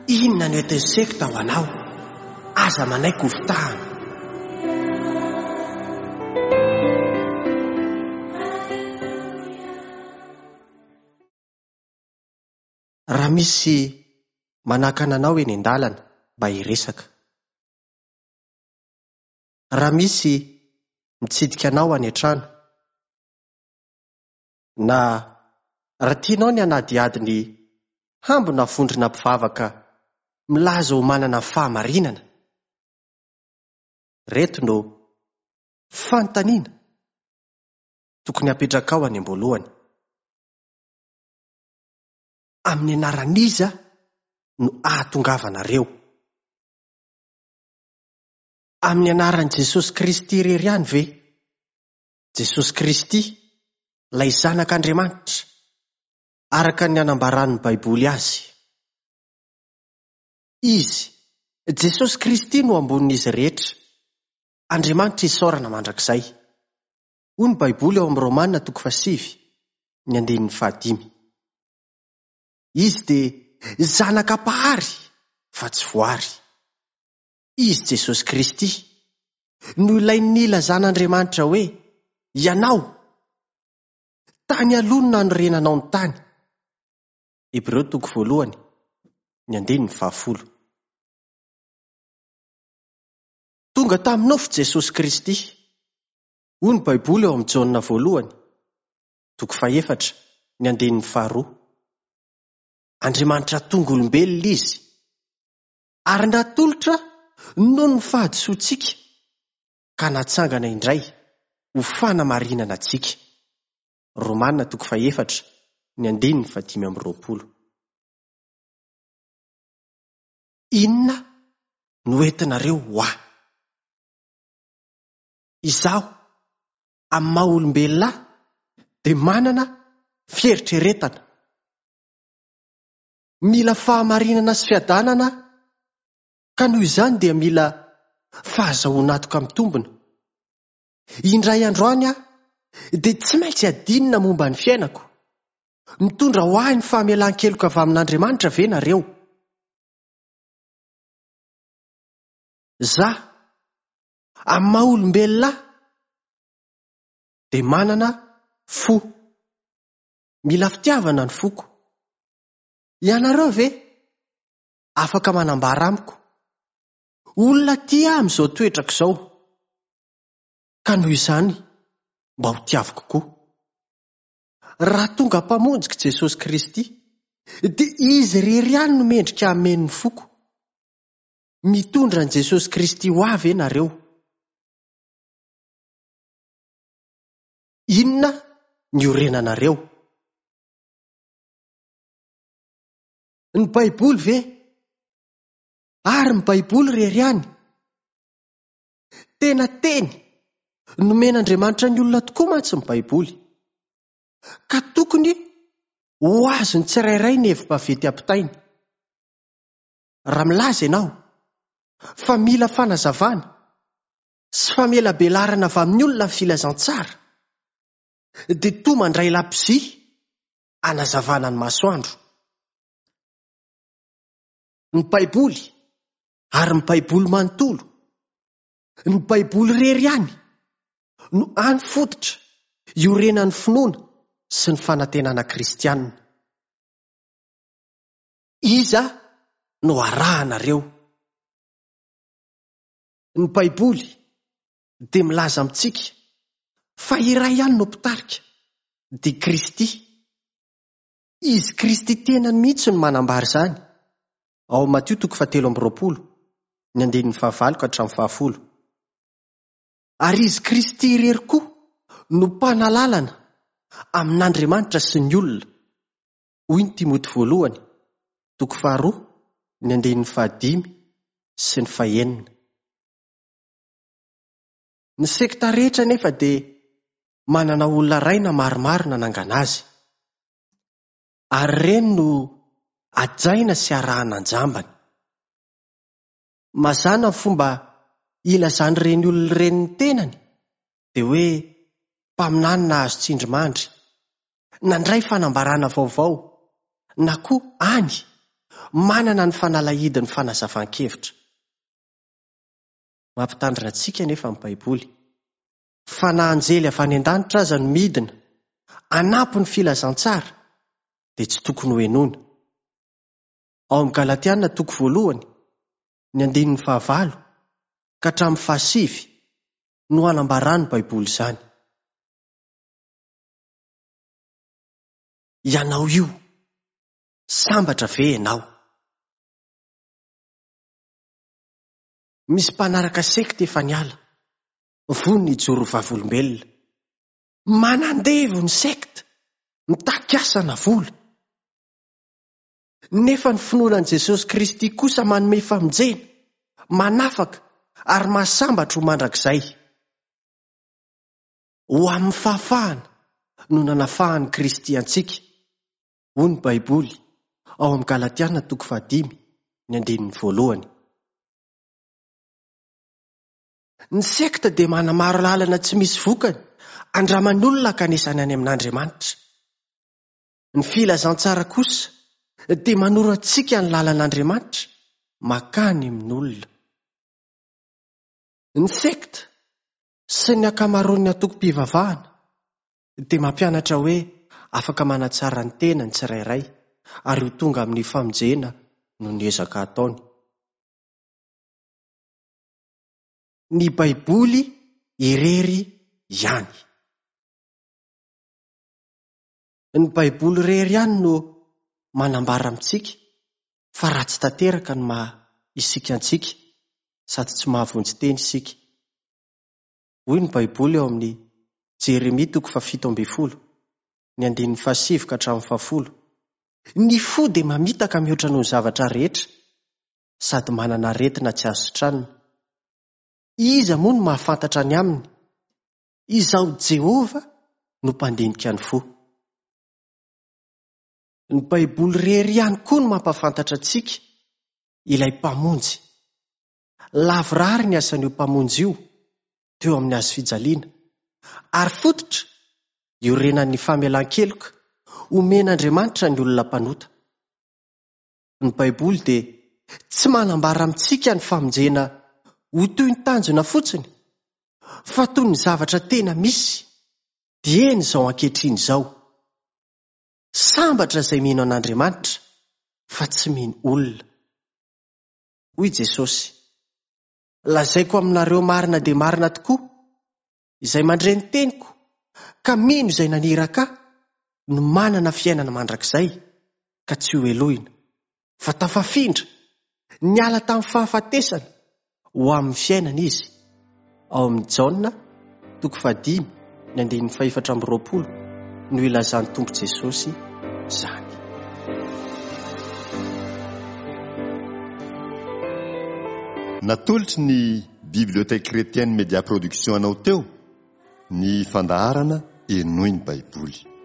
Inona no entin'ny sekta ho anao? Aza manaiky ho fitahana. Raha misy manakana anao eny an-dalana mba hiresaka. Raha misy mitsidika anao any an-trano. Na raha tianao ny hanadihady ny hambona vondrona mpivavaka milaza ho manana ny fahamarinana. Ireto no fanontaniana tokony hapetrakao any am-boalohany. Amin'ny anaran'iza no ahatongavanareo? Amin'ny anaran'i Jesosy Kristy irery ihany ve? Jesosy Kristy, ilay Zanak'Andriamanitra, araka ny anambaran'ny Baiboly azy. Izy, Jesosy Kristy no ambonin'izy rehetra. Andriamanitra isaorana mandrakizay. Hoy ny Baiboly ao amin'ny Romana toko fahasivy, ny andininy fahadimy. Izy dia Zanaka Mpahary fa tsy voary. Izy Jesosy Kristy no ilay nilazan'Andriamanitra hoe, Ianao, tany aloha no nanorenanao ny tany. Hebreo toko voalohany, ny andininy fahafolo. Tonga tamin'ny nofo Jesosy Kristy. Hoy ny Baiboly ao amin'ny Jaona voalohany, toko fahefatra, ny andininy faharoa. Andriamanitra tonga olombelona Izy, ary natolotra noho ny fahadisoantsika ka natsangana indray ho fanamarinana antsika. Romana toko fahefatra, ny andininy fahadimy amby 20. Inona no entinareo ho ahy? Izaho, amin'ny maha olombelona ahy, dia manana fieritreretana. Mila fahamarinana sy fiadanana aho, ka noho izany dia mila fahazahoan'antoka mitombina. Indray andro any aho dia tsy maintsy hadinina momba ny fiainako. Mitondra ho ahy ny famelan-keloka avy amin'Andriamanitra ve nareo? Za, amin'ny maha olombelona ahy, dia manana fo. Mila fitiavana ny foko. Ianareo ve afaka manambara amiko olona tia ahy amin'izao toetrako izao, ka noho izany mba ho tiaviko koa? Raha tonga Mpamonjiko Jesosy Kristy, dia Izy irery ihany no mendrika hameno ny foko. Mitondra an'i Jesosy Kristy ho ahy ve nareo? Inona ny iorenanareo? Ny Baiboly ve? Ary ny Baiboly irery ihany? Tena teny nomen'Andriamanitra ny olona tokoa mantsy ny Baiboly, ka tokony ho azon'ny tsirairay ny hevi-baventy ampitainy. Raha milaza ianao fa mila fanazavana sy famelabelarana avy amin'ny olona ny filazantsara, dia toa mandray labozia hanazavana ny masoandro. Ny Baiboly, ary ny Baiboly manontolo, ny Baiboly irery ihany no hany fototra iorenan'ny finoana sy ny fanantenana kristiana. Iza no arahanareo? Ny Baiboly dia milaza amintsika fa iray ihany no mpitarika, dia Kristy. Izy Kristy tenany mihitsy no manambara izany, ao amin'ny Matio toko fahatelo amby 20, ny andininy fahavalo ka hatramin'ny fahafolo. Ary Izy Kristy irery koa no mpanalalana amin'Andriamanitra sy ny olona, hoy ny Timoty voalohany, toko faharoa, ny andininy fahadimy sy ny fahenina. Ny sekta rehetra anefa dia manana olona iray na maromaro nanangana azy. Ary ireny no hajaina sy arahana an-jambany. Mazàna ny fomba ilazan'ireny olona ireny ny tenany dia hoe mpaminany nahazo tsindrimandry, nandray fanambarana vaovao, na koa any. manana ny fanalahidin'ny fanazavan-kevitra. Mampitandrina antsika anefa ny Baiboly fa na anjely avy any an-danitra aza no midina hanampy ny filazantsara dia tsy tokony hohenoina. Ao amin'ny Galatiana toko voalohany, ny andininy fahavalo ka hatramin'ny fahasivy no anambaran'ny Baiboly izany. Ianao io, sambatra ve ianao? Misy mpanaraka sekta efa niala, vonona hijoro ho vavolombelona. Manandevo ny sekta, mitaky asa na vola. Nefa ny finoana an'i Jesosy Kristy kosa manome famonjena, manafaka ary mahasambatra ho mandrakizay. Ho amin'ny fahafahana no nanafahan'i Kristy antsika, hoy ny Baiboly ao amin'ny Galatiana toko fahadimy, ny andininy voalohany. Ny sekta dia manamaro lalana tsy misy vokany andraman'olona hankanesany any amin'Andriamanitra. Ny filazantsara kosa dia manoro antsika ny lalan'Andriamanitra mankany amin'olona. Ny sekta sy ny ankamaroan'ny antokom-pivavahana dia mampianatra hoe afaka manatsara ny tena ny tsirairay ary ho tonga amin'ny famonjena noho ny ezaka ataony. Ny Baiboly irery ihany. Ny Baiboly irery ihany no manambara amintsika fa ratsy tanteraka ny maha isika antsika sady tsy mahavonjy tena isika. Hoy ny Baiboly ao amin'ny Jeremia toko fahafito ambin'ny folo, ny andininy fahasivy ka hatramin'ny fahafolo, Ny fo dia mamitaka mihoatra noho ny zavatra rehetra, sady manana aretina tsy azo sitranina. Iza moa no mahafantatra ny aminy? Izaho Jehovah no mpandinika ny fo. Ny Baiboly irery ihany koa no mampahafantatra antsika ilay Mpamonjy. Lavorary ny asan'io Mpamonjy io teo amin'ny hazo fijaliana, ary fototra iorenan'ny famelan-keloka omen'Andriamanitra ny olona mpanota. Ny Baiboly dia tsy manambara amintsika ny famonjena ho toy ny tanjona fotsiny, fa toy ny zavatra tena misy dieny izao ankehitriny izao. Sambatra izay mino an'Andriamanitra fa tsy mino olona. Hoy Jesosy, Lazaiko aminareo marina dia marina tokoa, izay mandre ny teniko ka mino izay naniraka ahy no manana fiainana mandrakizay ka tsy hohelohina, fa tafafindra, niala tamin'ny fahafatesana ho amin'ny fiainana izy. Ao amin'ny Jaona, toko fahadimy, ny andininy fahefatra amby roapolo no ilazan'ny Tompo Jesosy izany. Natolotry ny Bibliothèque Chrétienne Média Production anao teo ny fandaharana Henoy ny Baiboly.